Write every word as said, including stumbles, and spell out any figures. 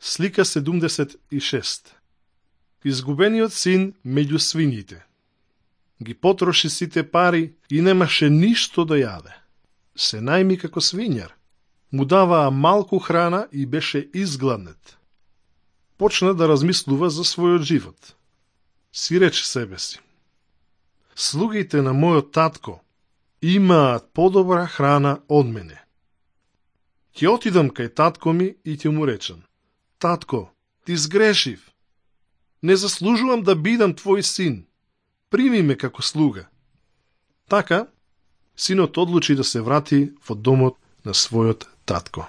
Слика седумдесет и шест. Изгубениот син меѓу свињите. Ги потроши сите пари и немаше ништо да јаде. Се најми како свињар. Му даваа малку храна и беше изгладнет. Почна да размислува за својот живот. Си рече себе си: слугите на мојот татко имаат подобра храна од мене. Ќе отидам кај татко ми и ќе му речам: татко, ти сгрешив. Не заслужувам да бидам твој син. Прими ме како слуга. Така, синот одлучи да се врати во домот на својот татко.